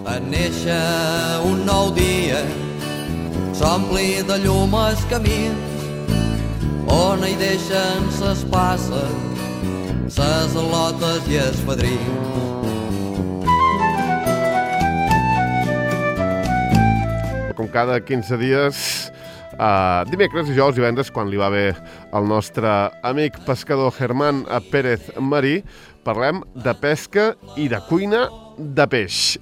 En néixer un nou dia s'ompli de llum els camins on hi deixen ses passes, ses al·lotes i els fadrins. Com cada 15 dies, dimecres, dijous i divendres, quan li va bé al nostre amic pescador Germán Pérez Marí, parlem de pesca i de cuina de peix.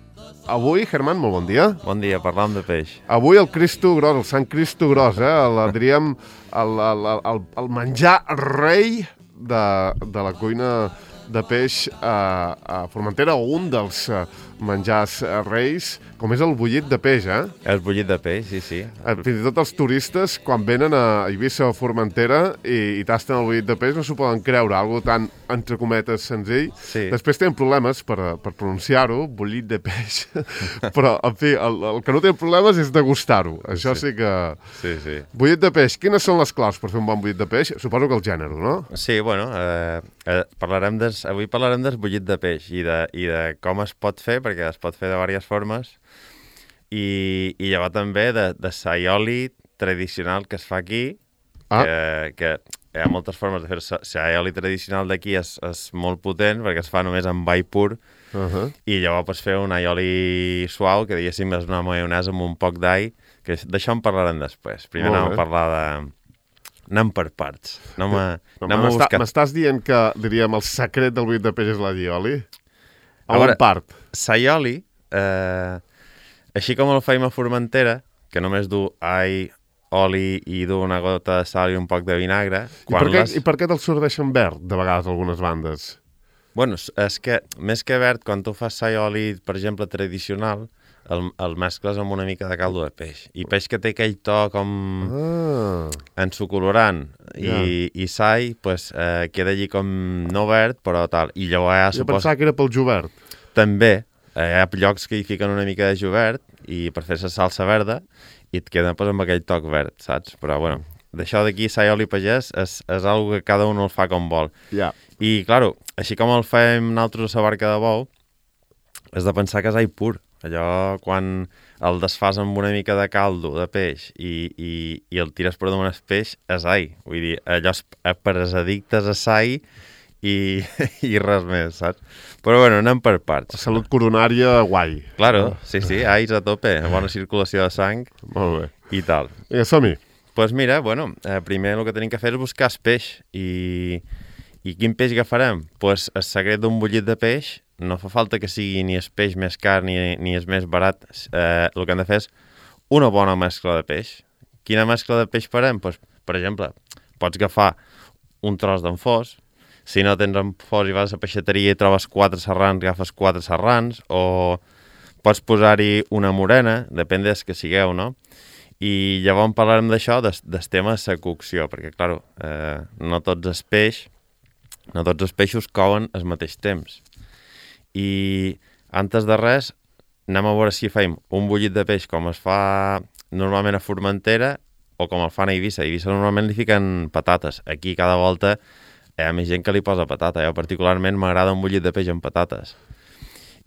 Avui, Germán, molt bon dia. Bon dia, parlam de peix. Avui el Cristo Gros, el Sant Cristo Gros, diríem el menjar rei de la cuina de peix a Formentera, o un dels menjars reis, com és el bullit de peix, És bullit de peix, sí. Fins i tot els turistes, quan venen a Eivissa o Formentera i tasten el bullit de peix, no s'ho poden creure, algo tan, entre cometes, senzill. Sí. Després tenen problemes per pronunciar-ho, bullit de peix, però, en fi, el que no té problemes és degustar-ho. Això sí que... Sí. Bullit de peix, quines són les claus per fer un bon bullit de peix? Suposo que el gènere, no? Sí, bueno, avui parlarem del bullit de peix i de com es pot fer, perquè es pot fer de diverses formes, i llavors també de saioli tradicional que es fa aquí, que hi ha moltes formes de fer. El saioli tradicional d'aquí és molt potent, perquè es fa només amb all pur, i llavors pots fer un aioli suau, que diguéssim és una maionesa amb un poc d'all, que d'això en parlarem després. Primer anem a parlar de... Anem per parts. M'estàs dient que, diríem, el secret del bullit de peix és l'allioli? A veure, part? Saioli, així com el feim a Formentera, que només du all, oli i du una gota de sal i un poc de vinagre... I per què te'l serveixen verd, de vegades, algunes bandes? Bueno, és que, més que verd, quan tu fas saioli, per exemple, tradicional, el mescles amb una mica de caldo de peix. I peix que té aquell to com ensucolorant i sai, pues, queda allí com no verd, però tal. I llavors Jo pensava que era pel jovert. També. Hi ha llocs que hi fiquen una mica de jovert i per fer la salsa verda i et queda pues, amb aquell toc verd, saps? Però, bueno, d'això d'aquí, saioli pagès, és algo que cada un el fa com vol. Yeah. I, claro, així com el fem nosaltres a la barca de bou, has de pensar que és all pur. Allò, quan el desfas amb una mica de caldo de peix i el tires per damunt el peix, és all. Vull dir, allò és per als addictes a sai i res més, saps? Però, bueno, anem per parts. Salut coronària, guai. Claro, sí, alls a tope, bona circulació de sang. Molt bé. I tal. Vinga, som-hi. Doncs mira, bueno, primer el que tenim que fer és buscar el peix. I quin peix agafarem? Doncs el secret d'un bullit de peix no fa falta que sigui ni el peix més car ni el més barat. El que hem de fer és una bona mescla de peix. Quina mescla de peix farem? Doncs, per exemple, pots agafar un tros d'enfós. Si no tens enfós i vas a la peixateria i trobes 4 serrans, agafes 4 serrans, o pots posar-hi una morena, depèn del que sigueu, no? I llavors parlarem d'això, del tema de la cocció, perquè, clar, no tots els peixos couen al mateix temps. I, antes de res, anem a veure si fem un bullit de peix com es fa normalment a Formentera o com el fan a Eivissa. A Eivissa normalment li fiquen patates. Aquí cada volta hi ha més gent que li posa patata. Jo particularment m'agrada un bullit de peix amb patates.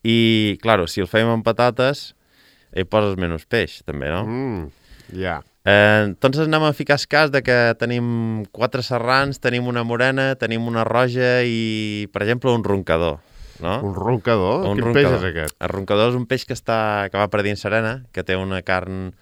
I, clar, si el fem amb patates, hi poses menys peix, també, no? Ja. Entonces anem a ficar el cas de que tenim 4 serrans, tenim una morena, tenim una roja i, per exemple, un roncador. No? Un roncador? Quin peix és aquest? El roncador és un peix que va per dins serena, que té una carn...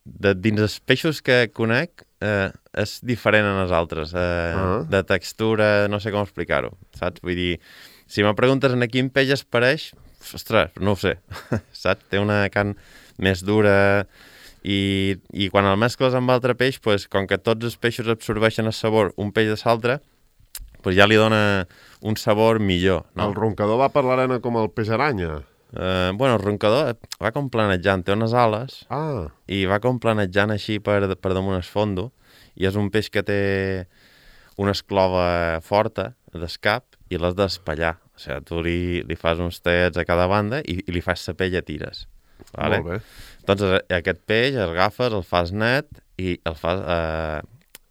dins els peixos que conec, és diferent en els altres. De textura, no sé com explicar-ho, saps? Vull dir, si me preguntes en quin peix es pareix, ostres, no ho sé, saps? Té una carn més dura i quan el mescles amb altre peix, pues, com que tots els peixos absorbeixen el sabor un peix de l'altre, pues ja li dona un sabor millor. No? El roncador va per l'arena com el peix aranya? Bueno, el roncador va com planejant, té unes ales i va com planejant així per damunt el fondo, i és un peix que té una esclova forta del cap i l'has d'espallar. O sigui, tu li fas uns tallets a cada banda i li fas la pell a tires. Vale? Molt bé. Doncs aquest peix el agafes, el fas net i el fas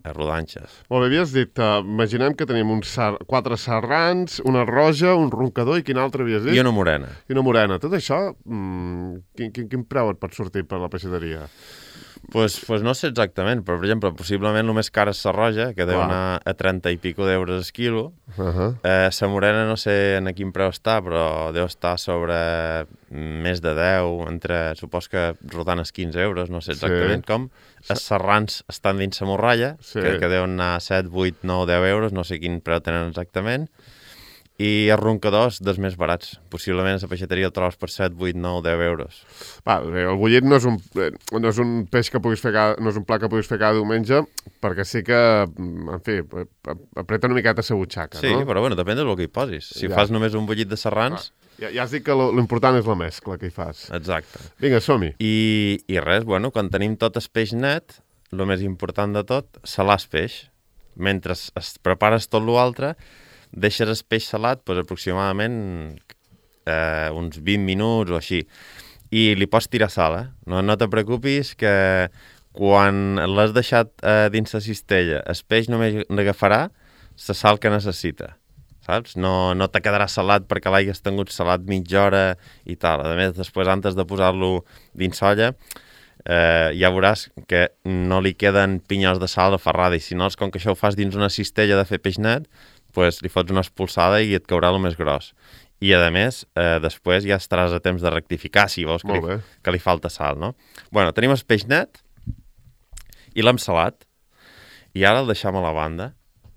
rodanxes. Molt bé, havies dit, imaginem que tenim 4 serrans, una roja, un roncador i quin altre havies dit? I una morena. I una morena. Tot això, quin preu et pot sortir per la peixateria? Pues no sé exactament, però, per exemple, possiblement el més car és la roja, que deu anar a 30 i pico d'euros el quilo. La morena no sé en quin preu està, però deu estar sobre més de 10, supos que rodant els 15 euros, no sé exactament com. Els serrans estan dins la morralla, que deuen anar a 7, 8, 9, 10 euros, no sé quin preu tenen exactament. I els roncadors dels més barats. Possiblement a la peixateria el trobes per 7, 8, 9, 10 euros. El bullit no és un peix que puguis fer no és un plat que puguis fer cada diumenge, perquè sí que, en fi, apreta una miqueta la butxaca, no? Sí, però bueno, depèn del que hi posis. Si fas només un bullit de serrans... Ja has dit que l'important és la mescla que hi fas. Exacte. Vinga, som-hi. I res, bueno, quan tenim tot el peix net, el més important de tot, salar el peix. Mentre es prepares tot l'altre, deixes el peix salat aproximadament uns 20 minuts o així. I li pots tirar sal, No te preocupis que quan l'has deixat dins la cistella, el peix només n'agafarà la sal que necessita, saps? No te quedarà salat perquè l'hagis tingut salat mitja hora i tal. A més, després, antes de posar-lo dins olla, ja veuràs que no li queden pinyols de sal aferrada, i si no, com que això ho fas dins una cistella de fer peix net, pues li fots una expulsada i et caurà el més gros. I, a més, després ja estaràs a temps de rectificar si veus que li falta sal, no? Bueno, tenim el peix net i l'hem salat, i ara el deixem a la banda.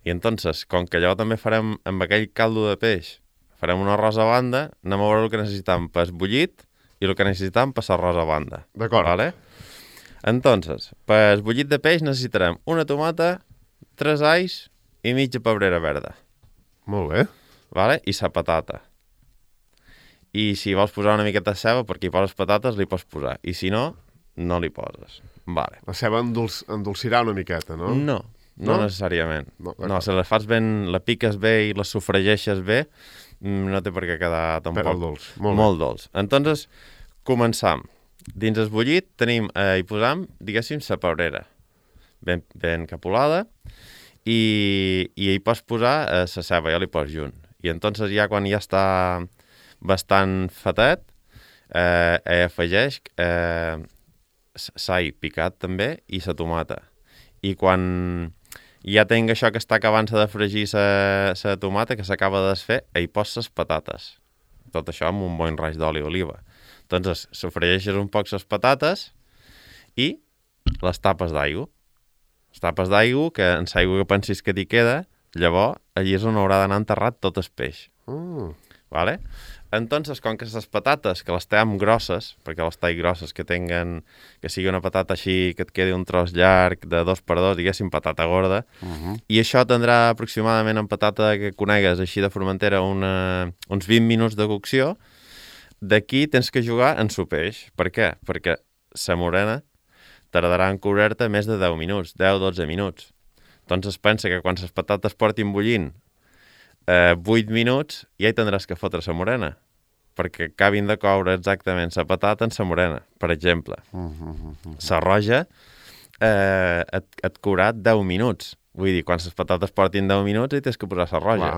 I entonces, com que allò també farem amb aquell caldo de peix, farem un arròs a banda, anem a veure el que necessitam per bullit i el que necessitam per l'arròs a banda. D'acord. ¿Vale? Entonces, per bullit de peix necessitarem una tomata, 3 alls i mitja pebrera verda. Molt bé. Vale? I la patata. I si vols posar una miqueta de ceba, perquè hi poses patates, li pots posar. I si no, no li poses. Vale. La ceba endolcirà una miqueta, no? No necessàriament. No, si la fas ben, la piques bé i la sofregeixes bé, no té per què quedar tampoc dolç. Molt dolç. Entonces, començam. Dins el bullit hi posam, diguéssim, la pebrera. Ben capulada. I hi pots posar la ceba, ja li pots junt. I entonces ja quan ja està bastant fatet, afegeix s'all picat també i la tomata. I quan ja tinc això que està acabant-se de fregir la tomata, que s'acaba de desfer, hi pots les patates. Tot això amb un bon raig d'oli d'oliva. Entonces, sofregeixes un poc les patates i les tapes d'aigua. Les tapes d'aigua, que en l'aigua que pensis que t'hi queda, llavors allí és on haurà d'anar enterrat tot el peix. Vale? Entonces, com que les patates, que les tenim grosses, perquè les talls grosses que sigui una patata així, que et quedi un tros llarg de 2x2, diguéssim, patata gorda, i això tindrà aproximadament en patata que conegues així de Formentera uns 20 minuts de cocció. D'aquí tens que jugar en su peix. Per què? Perquè la morena tardarà en cobrir-te més de 10 minuts, 10-12 minuts. Doncs es pensa que quan les patates portin bullint 8 minuts, ja hi tindràs que fotre la morena, perquè acabin de coure exactament la patata en la morena, per exemple. La roja et courà 10 minuts. Vull dir, quan les patates portin 10 minuts, hi tens que posar la roja.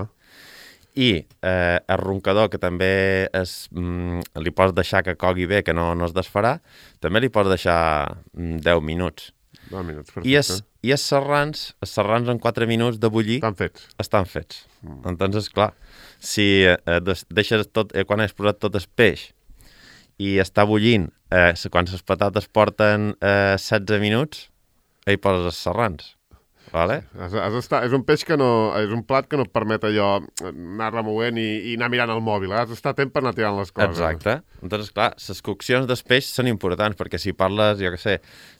I el roncador, que també li pots deixar que cogui bé, que no es desfarà, també li pots deixar 10 minuts. 10 minuts, perfecte. I els serrans en 4 minuts de bullir estan fets. Entonces, clar, si deixes tot, quan has posat tot el peix i està bullint, quan les patates porten 16 minuts, hi poses els serrans. Vale? És un peix que no... És un plat que no et permet allò anar removent i anar mirant el mòbil. Has d'estar a temps per anar tirant les coses. Exacte. Entonces, clar, les coccions del peix són importants, perquè si parles, jo què sé,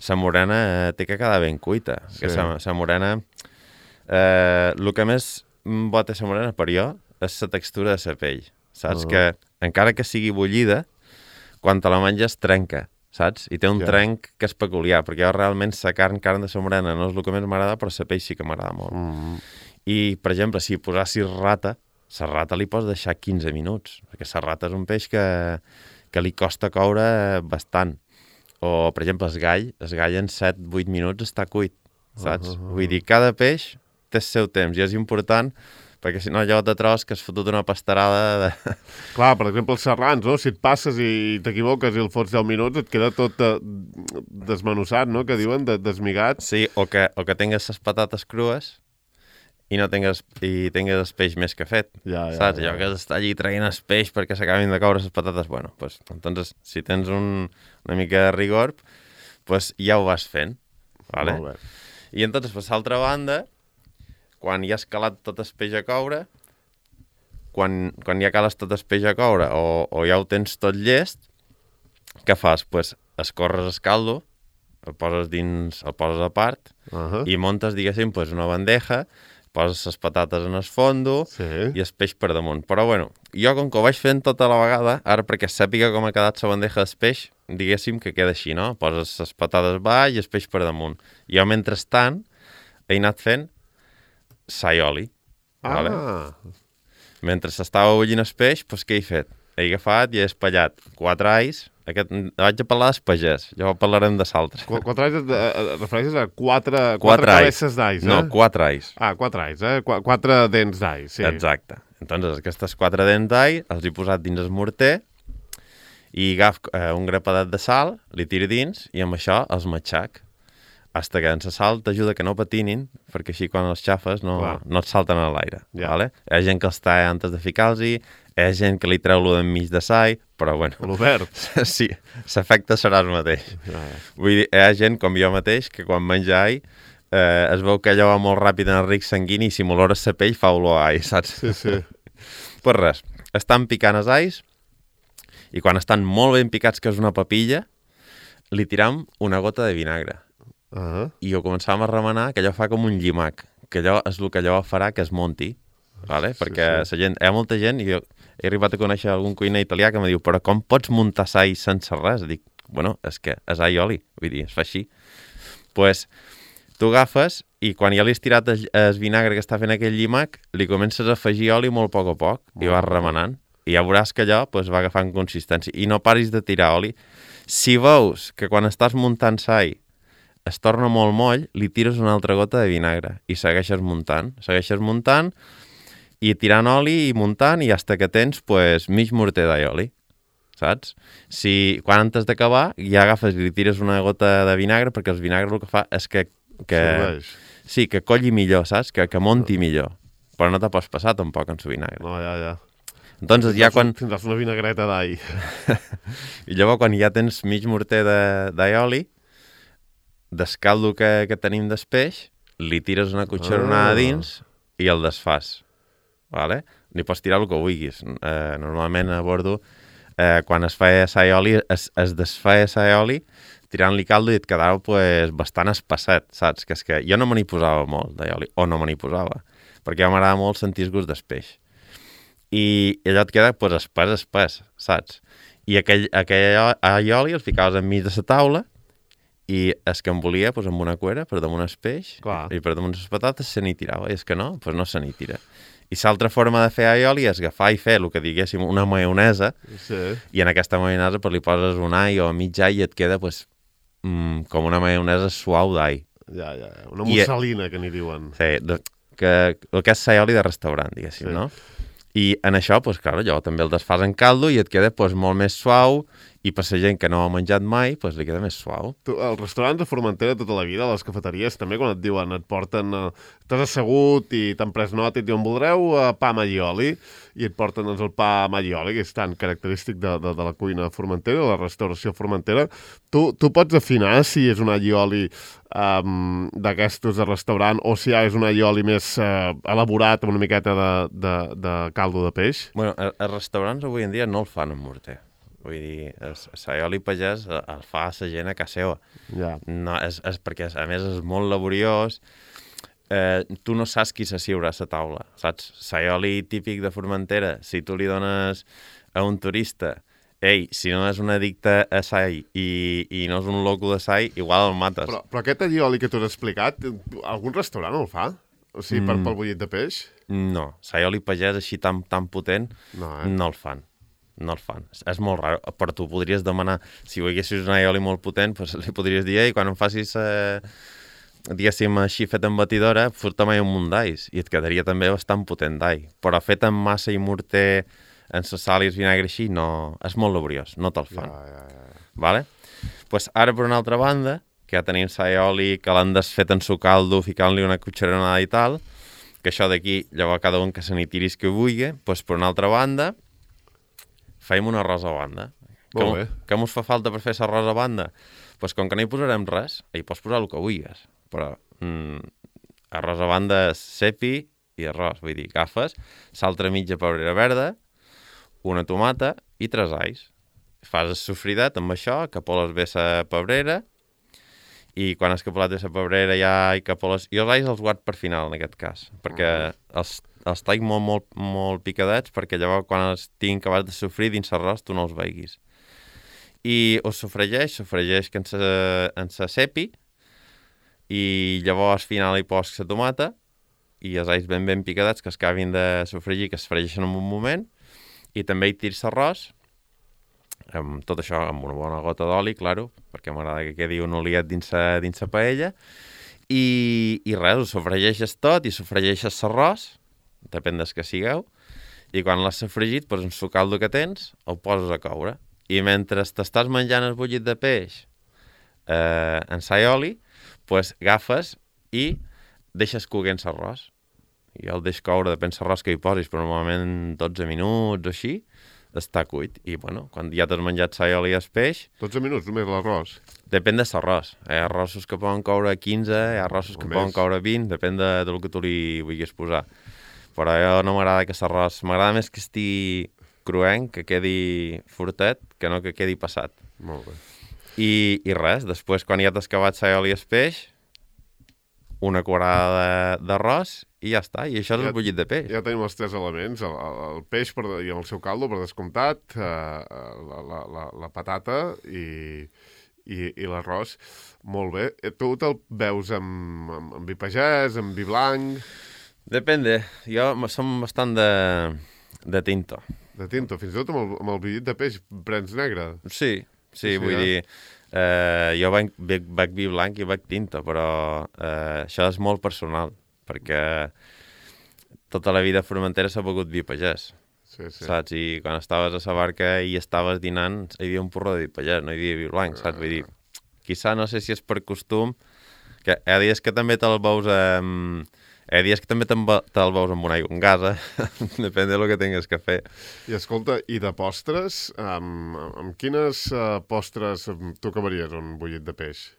la morena té que quedar ben cuita. Sí. La morena... El que més bo té la morena per jo és la textura de la pell. Saps? Que encara que sigui bullida, quan te la menges trenca. Saps? I té un trenc que és peculiar, perquè jo realment la carn de la morena no és el que més m'agrada, però la peix sí que m'agrada molt. I, per exemple, si posassis rata, la rata li pots deixar 15 minuts, perquè la rata és un peix que li costa coure bastant. O, per exemple, el gall en 7-8 minuts està cuit. saps? Vull dir, cada peix té el seu temps i és important perquè si no allò te trobes que has fotut una pastarada de... Clar, per exemple, els serrans, no? Si et passes i t'equivoques i el fots 10 minuts, et queda tot desmenussat, no? Que diuen, desmigat. Sí, o que tingues les patates crues i tingues el peix més que fet, saps? Allò que està allí traient el peix perquè s'acabin de coure les patates, bueno, pues, entonces, si tens una mica de rigor, pues ja ho vas fent, vale? Molt bé. I entonces, per l'altra banda, quan ja has calat tot el peix a coure, quan ja cales tot el peix a coure o ja ho tens tot llest, què fas? Pues escorres el caldo, el poses a part i montes, diguéssim, pues una bandeja, poses les patates en el fondo i el peix per damunt. Però, bueno, jo com que ho vaig fent tota la vegada, ara perquè sàpiga com ha quedat la bandeja del peix, diguéssim que queda així, no? Poses les patates baix i el peix per damunt. Jo, mentrestant, he anat fent sal i oli. Vale? Mentre s'estava bullint el peix, doncs què he fet? He agafat i he espallat 4 alls. Vaig a parlar del pagès, ja parlarem de l'altre. 4 alls et refereixes a 4 cabesses d'alls, No, 4 alls. 4 alls, 4 dents d'all, sí. Exacte. Entonces, aquestes 4 dents d'all els he posat dins el morter i agafo un grapadet de sal, li tiro dins i amb això els matxac. Hasta que en la sal t'ajuda que no patinin, perquè així quan els xafes no et salten a l'aire. Vale? Hi ha gent que els talla antes de ficar-los-hi, hi ha gent que li treu lo d'enmig de sall, però bueno... L'obert. Sí, l'efecte serà el mateix. Vull dir, hi ha gent, com jo mateix, que quan menja all es veu que allò va molt ràpid en el ric sanguini i si m'olores la pell fa olor a all, saps? Sí. Pues res, estan picant els alls i quan estan molt ben picats, que és una papilla, li tiram una gota de vinagre. I ho començàvem a remenar, que allò fa com un llimac, que allò és el que allò farà que es monti, vale? Perquè la gent, hi ha molta gent, i jo he arribat a conèixer algun cuiner italià que em diu, però com pots muntar all sense res? Dic, bueno, és que és all i oli, vull dir, es fa així. Pues, tu agafes i quan ja li has tirat el vinagre que està fent aquell llimac, li comences a afegir oli molt a poc i vas remenant. I ja veuràs que allò va agafant consistència. I no paris de tirar oli. Si veus que quan estàs muntant all es torna molt moll, li tires una altra gota de vinagre i segueixes muntant i tirant oli i muntant i fins que tens mig morter d'aioli, saps? Si quan antes d'acabar ja agafes i li tires una gota de vinagre perquè el vinagre el que fa és que sí, que colli millor, saps? Que monti millor. Però no te pots passar tampoc en el vinagre. No, ja. Entonces ja quan... Tindràs una vinagreta d'all. I llavors quan ja tens mig morter d'aioli, del caldo que tenim del peix, li tires una cucharonada dins i el desfàs. Vale? N'hi pots tirar el que vulguis. Normalment a bordo, quan es feia saioli, es desfeia saioli tirant-li caldo i et quedava bastant espesset, saps? Que és que jo no me n'hi posava molt d'aioli, o no me n'hi posava, perquè a mi m'agrada molt sentir el gust del peix. I allò et queda espès, saps? I aquell aioli el ficaves enmig de la taula i es que em volia amb una cuera per damunt el peix i per damunt les patates se n'hi tirava, i és que no, no se n'hi tira. I l'altra forma de fer aioli és agafar i fer el que diguéssim una maionesa i en aquesta maionesa li poses un all o mig all i et queda com una maionesa suau d'all. Ja, una musselina que n'hi diuen. Sí, que el que és aioli de restaurant, diguéssim, no? I en això, clar, allò també el desfàs en caldo i et queda molt més suau i per la gent que no ha menjat mai, li queda més suau. Els restaurants de Formentera tota la vida, les cafeteries també, quan et diuen, et porten... T'has assegut i t'han pres nota i et diuen, voldreu pa amb allioli? I et porten el pa amb allioli, que és tan característic de la cuina formentera, de la restauració formentera. Tu pots afinar si és un allioli d'aquestos de restaurant o si és un allioli més elaborat amb una miqueta de caldo de peix? Bueno, els restaurants avui en dia no el fan amb morter. Vull dir, l'aioli pagès el fa la gent a casa seva. No, és perquè, a més, és molt laboriós. Tu no saps qui s'assiurà a la taula, saps? L'aioli típic de Formentera, si tu li dones a un turista, si no és un addicte a sai i no és un loco de sai, igual el mates. Però aquest allioli que tu has explicat, algun restaurant el fa? O sigui, pel bullit de peix? No, l'aioli pagès així tan potent no el fan. No el fan. És molt raro. Però tu podries demanar, si volguessis un aioli molt potent, li podries dir, quan em facis diguéssim, així fet en batidora, fot mai un munt d'ais i et quedaria també bastant potent d'all. Però fet amb massa i morter, en sa sal i el vinagre així, no, és molt laboriós, no te'l fan. Vale? Pues ara, per una altra banda, que ja tenim sa i oli, que l'han desfet en su caldo, ficant-li una cucharonada i tal, que això d'aquí, llavors cada un que se n'hi tiris que vulgui, pues per una altra banda, feim un arròs a banda. Molt bé. Què mos fa falta per fer l'arròs a banda? Pues com que no hi posarem res, hi pots posar el que vulguis, però arròs a banda és cepi i arròs, vull dir, agafes l'altra mitja pebrera verda, una tomata i 3 alls. Fas el sofridat amb això, capoles bé la pebrera, i quan has capolat de la pebrera ja hi capoles... Jo els alls els guard per final, en aquest cas, perquè els taig molt picadets, perquè llavors quan els tinc acabats de sofrir dins l'arròs tu no els veiguis. I ho sofregeix que en sa cepi, i llavors al final hi poso la tomata, i els alls ben picadets que es acabin de sofregir, que es fregeixen en un moment, i també hi tirs l'arròs, amb tot això amb una bona gota d'oli, claro, perquè m'agrada que quedi un oliet dins la paella, i res, ho sofregeixes tot i sofregeixes l'arròs, depèn del que sigueu, i quan l'has sofregit, doncs en su caldo que tens, el poses a coure. I mentre t'estàs menjant el bullit de peix en sa i oli, doncs agafes i deixes coguent l'arròs. Jo el deixo coure, depèn l'arròs que hi posis, però normalment 12 minuts o així, està cuit. I, bueno, quan ja t'has menjat sa i oli i el peix... 12 minuts, només l'arròs? Depèn de l'arròs. Hi ha arrossos que poden coure 15, hi ha arrossos que poden coure 20, depèn del que tu li vulguis posar. Però jo no m'agrada que l'arròs... M'agrada més que estigui cruenc, que quedi fortet, que no que quedi passat. Molt bé. I res, després, quan ja t'has acabat sa i oli i el peix, una cuarada d'arròs i ja està, i això és el bullit de peix. Ja tenim els 3 elements, el peix i el seu caldo, per descomptat, la patata i l'arròs. Molt bé. Tu te'l veus amb vi pagès, amb vi blanc? Depende. Jo som bastant de tinto. De tinto. Fins i tot amb el bullit de peix prens negre? Sí, vull dir... jo bec vi blanc i bec tinta, però això és molt personal, perquè tota la vida a Formentera s'ha begut vi pagès, saps? I quan estaves a la barca i estaves dinant, hi havia un porró de vi pagès, no hi havia vi blanc, saps? Vull dir, quizà no sé si és per costum, que hi ha dies que també te'l veus hi ha dies que també te'l veus amb una aigua amb gasa, depèn del que tingues que fer. I escolta, i de postres, amb quines postres tu acabaries un bullit de peix?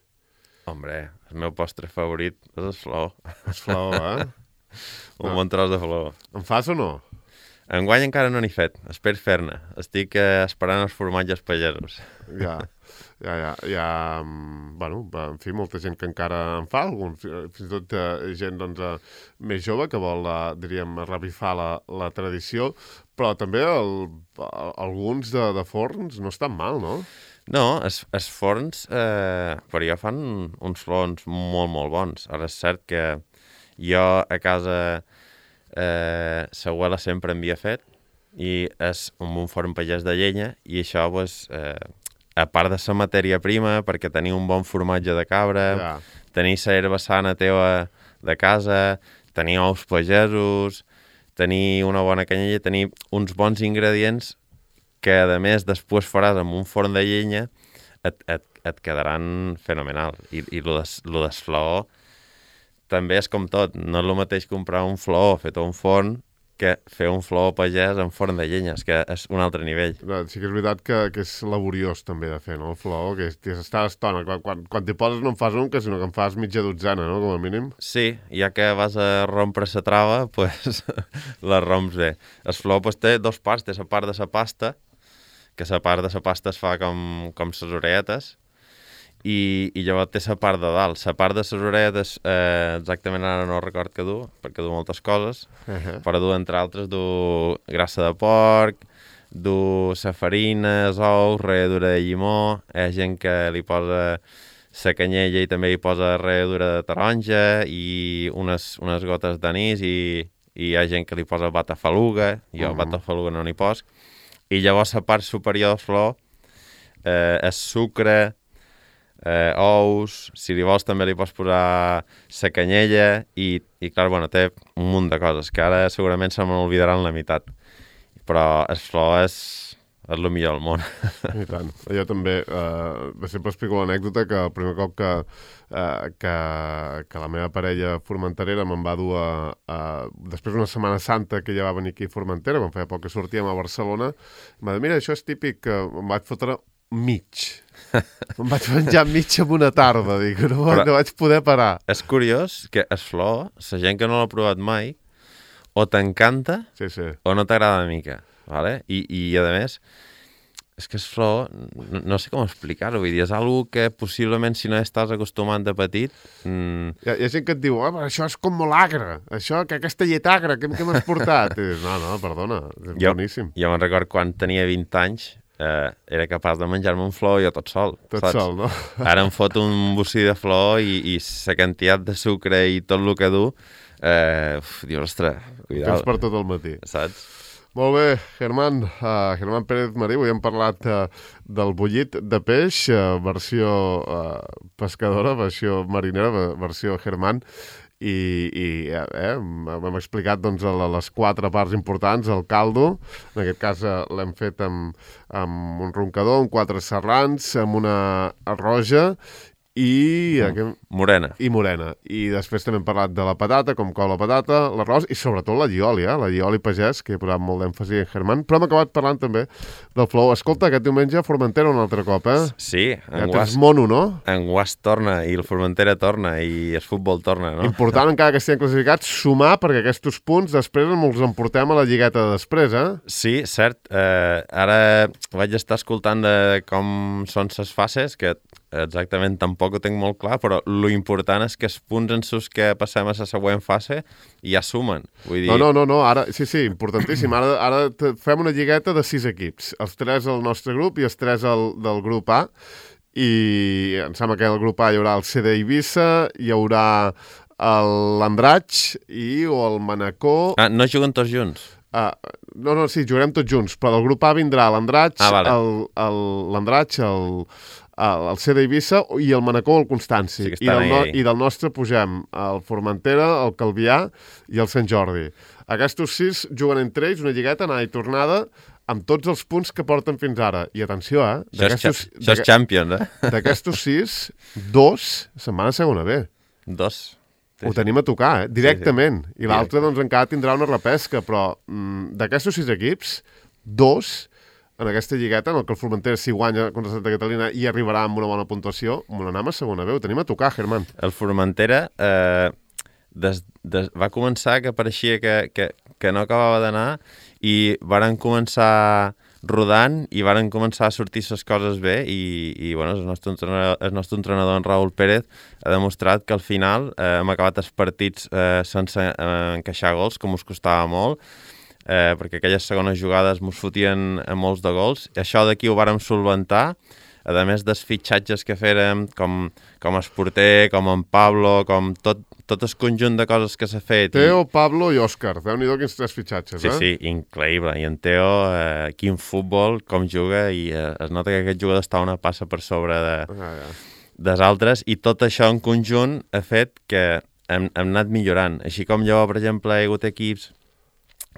Hombre, el meu postre favorit és el flor. El flor, Un bon tros de flor. En fas o no? Enguany encara no n'he fet, espero fer-ne. Estic esperant els formatges pagesos. Ja. Bueno, en fi, molta gent que encara en fa, fins i tot gent doncs, més jove que vol, diríem, revifar la tradició, però també alguns de forns no estan mal, no? No, els forns per jo fan uns flors molt, molt bons. Ara és cert que jo a casa sa abuela sempre en havia fet i és un forn pagès de llenya i això, pues, a part de la matèria prima, perquè tenir un bon formatge de cabra, tenir la herba sana teva de casa, tenir ous pagesos, tenir una bona canyella, tenir uns bons ingredients que, a més, després faràs amb un forn de llenya, et quedaran fenomenal. I lo del flor també és com tot. No és el mateix comprar un flor fet a un forn que fer un flor pagès en forn de llenya, és que és un altre nivell. Sí que és veritat que és laboriós també de fer, no? El flor, que està estona. Quan t'hi poses no en fas un, sinó que en fas mitja dotzena, no? Com a mínim. Sí, ja que vas a rompre la trava, pues la romps bé. El flor pues, té 2 parts, té la part de la pasta, que la part de la pasta es fa com les orelletes, i llavors té la part de dalt. La part de les orelletes, exactament ara no record que du, perquè du moltes coses, però du, entre altres, du grassa de porc, du la farina, els ous, ralladura de llimó, hi ha gent que li posa la canyella i també hi posa ralladura de taronja i unes gotes d'anís i hi ha gent que li posa batafaluga, jo batafaluga no n'hi poso, i llavors la part superior de flor és sucre, ous, si li vols també li pots posar sa canyella i clar, bueno, té un munt de coses que ara segurament se m'oblidaran la meitat. Però el flor és el millor del món. I tant. Jo també sempre explico l'anècdota que el primer cop que la meva parella formenterera me'n va dur després d'una Setmana Santa que ella va venir aquí a Formentera, me'n feia poc que sortíem a Barcelona, em va dir, mira, això és típic, que em vaig fotre mig. Em vaig menjar mig en una tarda, dic, no vaig poder parar. És curiós que el flor, la gent que no l'ha provat mai, o t'encanta o no t'agrada una mica. Vale? I a més, és que el flor, no sé com explicar-ho, vull dir, és algo que possiblement si no estàs acostumat de petit... Hi ha gent que et diu, això és com molt agre, això, que aquesta llet agra, què m'has portat? I dius, no, perdona, és boníssim. Jo me'n record quan tenia 20 anys, era capaç de menjar-me un flor jo tot sol. Tot sol, no? Ara em fot un bocí de flor i la quantitat de sucre i tot el que du, dius, ostres, cuidado. Tens per tot el matí. Saps? Molt bé, Germán Pérez Marí, avui hem parlat del bullit de peix, versió pescadora, versió marinera, versió Germán, i hem explicat doncs, les 4 parts importants, el caldo, en aquest cas l'hem fet amb un roncador, amb 4 serrans, amb una roja, i morena. I després també hem parlat de la patata, com cou la patata, l'arròs i sobretot la llioli, la llioli pagès, que he posat molt d'èmfasi en Germán, però hem acabat parlant també del flou. Escolta, aquest diumenge a Formentera un altre cop, Sí. Ja tens mono, no? En Guas torna, i el Formentera torna, i el futbol torna, no? Important, encara que estiguem classificats, sumar, perquè aquests punts després ens emportem a la lligueta de després, Sí, cert. Ara vaig estar escoltant de com són les fases, que exactament tampoc ho tinc molt clar, però lo important és que els punts en sus que passem a la següent fase ja sumen. Vull dir... No, ara, sí, importantíssim. Ara fem una lligueta de 6 equips. Els 3 al nostre grup i els 3 del grup A. I em sembla que al grup A hi haurà el CD Eivissa, hi haurà l'Andratx o el Manacor... no juguen tots junts? Sí, jugarem tots junts, però del grup A vindrà l'Andratx, vale. l'Andratx, el CD Eivissa i el Manacor, el Constanci. Sí, I del nostre pugem el Formentera, el Calvià i el Sant Jordi. Aquests 6 juguen entre ells una lligueta, anada i tornada, amb tots els punts que porten fins ara. I atenció, Això és Champions, D'aquestos 6, 2 se'n van a segona B. 2. Ho tenim a tocar, directament. Sí. I l'altre, doncs, encara tindrà una repesca, però d'aquestos 6 equips, 2 en aquesta lligueta, en el que el Formentera, si guanya contra Santa Catalina, i arribarà amb una bona puntuació, amb una anem a segona B. Ho tenim a tocar, Germán. El Formentera va començar que pareixia que no acabava d'anar i varen començar rodant i varen començar a sortir les coses bé i bueno, el nostre entrenador, en Raúl Pérez, ha demostrat que al final hem acabat els partits sense encaixar gols, com us costava molt, perquè aquelles segones jugades mos fotien molts de gols. Això d'aquí ho vàrem solventar, a més dels fitxatges que fèrem, com el porter, com en Pablo, com tot el conjunt de coses que s'ha fet. Teo, Pablo i Òscar. Déu-n'hi-do quins 3 fitxatges, Sí, increïble. I en Teo, quin futbol, com juga, i es nota que aquest jugador està una passa per sobre dels altres, i tot això en conjunt ha fet que hem anat millorant. Així com llavors, per exemple, hi ha hagut equips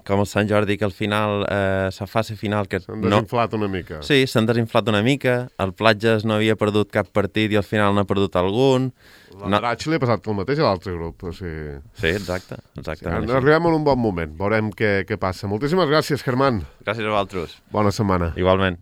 com el Sant Jordi, que al final, la fase final... S'han desinflat una mica. Sí, s'han desinflat una mica. El Platges no havia perdut cap partit i al final n'ha perdut algun. L'Andratx li ha passat el mateix a l'altre grup. Sí, exacte. Arribem en un bon moment. Veurem què passa. Moltíssimes gràcies, Germán. Gràcies a vosaltres. Bona setmana. Igualment.